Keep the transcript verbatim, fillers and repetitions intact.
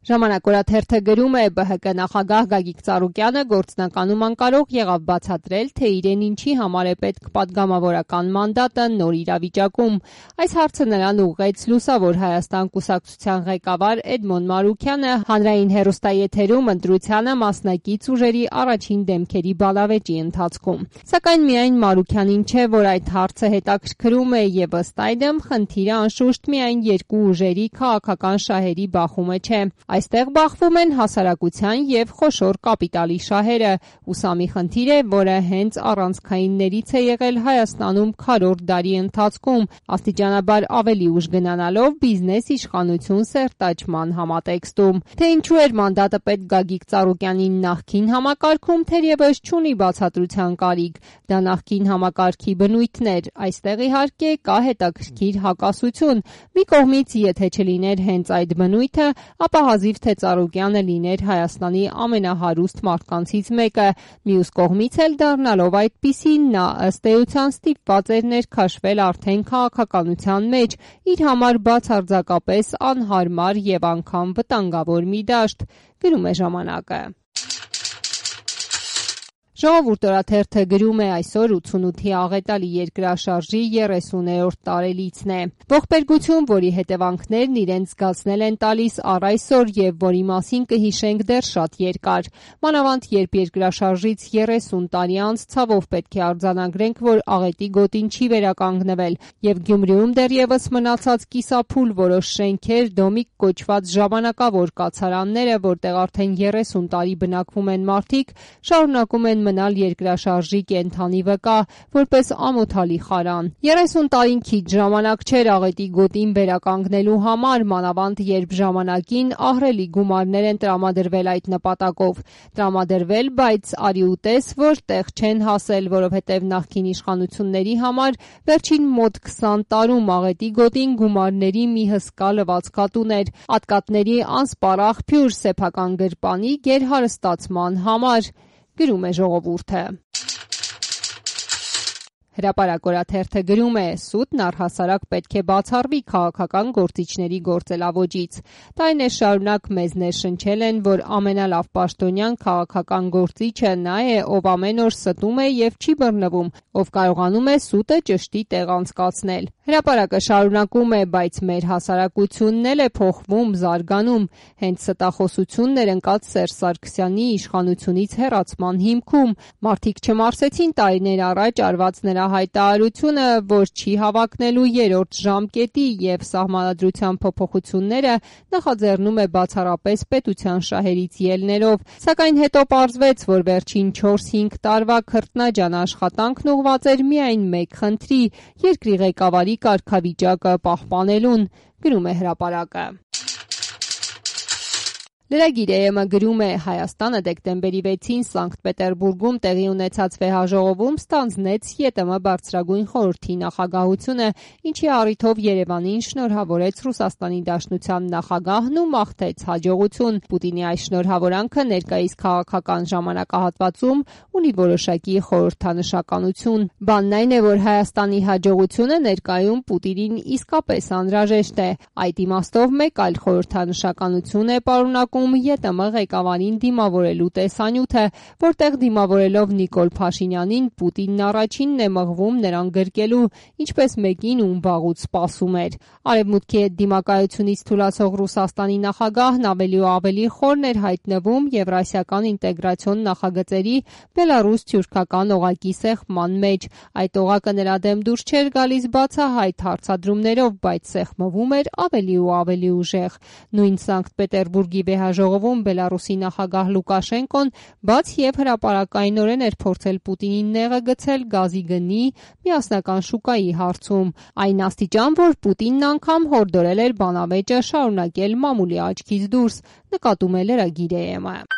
Ժամանակ օրաթերթը գրում է ԲՀԿ նախագահ Գագիկ Ծառուկյանը գործնականում անկարող եղավ բացատրել, թե իրեն ինչի համար է պետք պատգամավորական մանդատը նոր իրավիճակում։ Այս հարցը նրան ուղղեց Լուսավոր Հայաստան կուսակցության ղեկավար Էդմոն Մարուքյանը հանրային հեռուստաեթերում ընտրությանը մասնակից ուժերի առաջին դեմքերի բալավեճի ընթացքում։ Սակայն միայն Մարուքյանին չէ, որ այդ հարցը հետաքրքրում է եւ ըստ այդմ խնդիրը անշուշտ միայն երկու ուժերի քաղաքական շահերի բախումը չէ։ Այստեղ բախվում են հասարակության եւ խոշոր կապիտալի շահերը, ու սա մի խնդիր է, որը հենց առանցքայիններից է եղել Հայաստանում քառորդ դարի ընթացքում, աստիճանաբար ավելի ուժ գնանալով բիզնես իշխանություն սերտաճման համատեքստում։ Թե ինչու էր մանդատը պետք Գագիկ Ծառուկյանին նախկին համակարգում, թերևս չունի բացատրության կարիք, դա նախկին համակարգի բնույթն էր, այստեղ իհարկե կա հետաքրքիր հակասություն։ Մի կողմից, եթե չլիներ հենց այդ բնույթը, ապա հազիվ թե Ծառուկյանը լիներ Հայաստանի ամենահարուստ մարդկանցից մեկը, մյուս կողմից էլ դառնալով այդպիսին, նա ըստ էության ստիպված էր ներքաշվել արդեն քաղաքականության մեջ, իր համար բացարձակապես անհարմար եւ անգամ վտանգավոր մի դաշտ, գրում է ժամանակը։ Ժողովուրդ օրաթերթը գրում է այսօր ութսունութի աղետալի երկրաշարժի երեսուներորդ տարելիցն է։ Ողբերգություն, որի հետևանքներն իրենց զգացնել են տալիս առ այսօր եւ որի մասին կհիշենք դեռ շատ երկար։ Մանավանդ երբ երկրաշարժից երեսուն տարի անց ցավով պետք է արձանագրենք, որ աղետի գոտին չի վերականգնվել եւ Գյումրիում դեռևս մնացած կիսափուլ որոշ շենքեր, դոմիկ կոչված ժամանակավոր կացարանները, որտեղ արդեն երեսուն տարի բնակվում են մարդիկ, շարունակում են մնալ երկրաշարժի կենթանի վկա, որպես ամոթալի խարան։ երեսուն տարին քիչ ժամանակ չէր աղետի գոտին վերականգնելու համար, մանավանդ երբ ժամանակին ահռելի գումարներ են տրամադրվել այդ նպատակով։ Տրամադրվել, բայց արի ու տես, որ տեղ չեն հասել, որովհետև նախկին իշխանությունների համար վերջին մոտ քսան տարում աղետի գոտին գումարների մի հսկա լվացքատուն էր, ատկատների անսպառ աղբյուր սեփական գրպանի գերհարստացման համար, գրում է Ժողովուրդը։ Հրապարակ օրաթերթը գրում է. սուտն առհասարակ պետք է բացառվի քաղաքական գործիչների գործելավոճից։ Տարիներ շարունակ մեզ ներշնչել են, որ ամենալավ պաշտոնյան քաղաքական գործիչը նա է, ով ամեն օր ստում է եւ չի բռնվում, ով կարողանում է սուտը ճշտի տեղ անցկացնել։ Հրապարակը շարունակում է, բայց մեր հասարակությունն էլ է փոխվում, զարգանում, հենց ստախոսությունն էր ընկած Սերժ Սարգսյանի իշխանությունից հեռացման հիմքում։ Մարդիկ չմարսեցին տարիներ առաջ արված նրա հայտարարությունը, որ չի հավակնելու երրորդ ժամկետի եւ սահմանադրության փոփոխությունները նախաձեռնում է բացառապես պետության շահերից ելներով, սակայն հետո պարզվեց, որ վերջին չորս-հինգ տարվա քրտնաջան աշխատանքն ուղղված էր միայն մեկ խնդրի՝ երկրի ղեկավարի կարգավիճակը պահպանելուն, գրում է Հրապարակը։ Լրագիր.am-ը գրում է. Հայաստանը դեկտեմբերի վեցին Սանկտ Պետերբուրգում տեղի ունեցած վեհաժողովում ստանձնեց ԵՏՄ բարձրագույն խորհրդի նախագահությունը, ինչի առիթով Երևանին շնորհավորեց Ռուսաստանի Դաշնության նախագահն ու մաղթեց հաջողություն։ Պուտինի այս շնորհավորանքը ներկայիս քաղաքական ժամանակահատվածում ունի որոշակի խորհրդանշականություն։ Բանն այն է, որ Հայաստանի հաջողությունը ներկայում Պուտինին իսկապես անհրաժեշտ է։ Այդ իմաստով մեկ այլ խորհրդանշականություն է պարունակում ԵՏՄ ղեկավարին դիմավորելու տեսանյութը, որտեղ դիմավորելով Նիկոլ Փաշինյանին Պուտինն առաջինն է մղվում նրան գրկելու, ինչպես մեկին, ում վաղուց սպասում էր։ Արևմուտքի հետ դիմակայությունից թուլացող Ռուսաստանի նախագահն ավելի ու ավելի խորն էր հայտնվում եվրասիական ինտեգրացիոն նախագծերի բելառուս-թյուրքական օղակի սեղմման մեջ։ Այդ օղակը նրա դեմ դուրս չէր գալիս բացահայտ հարցադրումներով, բայց սեղմվում էր ավելի ու ավելի ուժեղ։ Նույն Սանկտ Պետերբուրգի վեհաժողովում Բելառուսի նախագահ Լուկաշենկոն բաց եւ հրապարակայնորեն էր փորձել Պուտինին նեղը գցել գազի գնի միասնական շուկայի հարցում, այն աստիճան, որ Պուտինն անգամ հորդորել էր բանավեճը շարունակել մամուլի աչքից դուրս, նկատում է լրագիր.am-ը։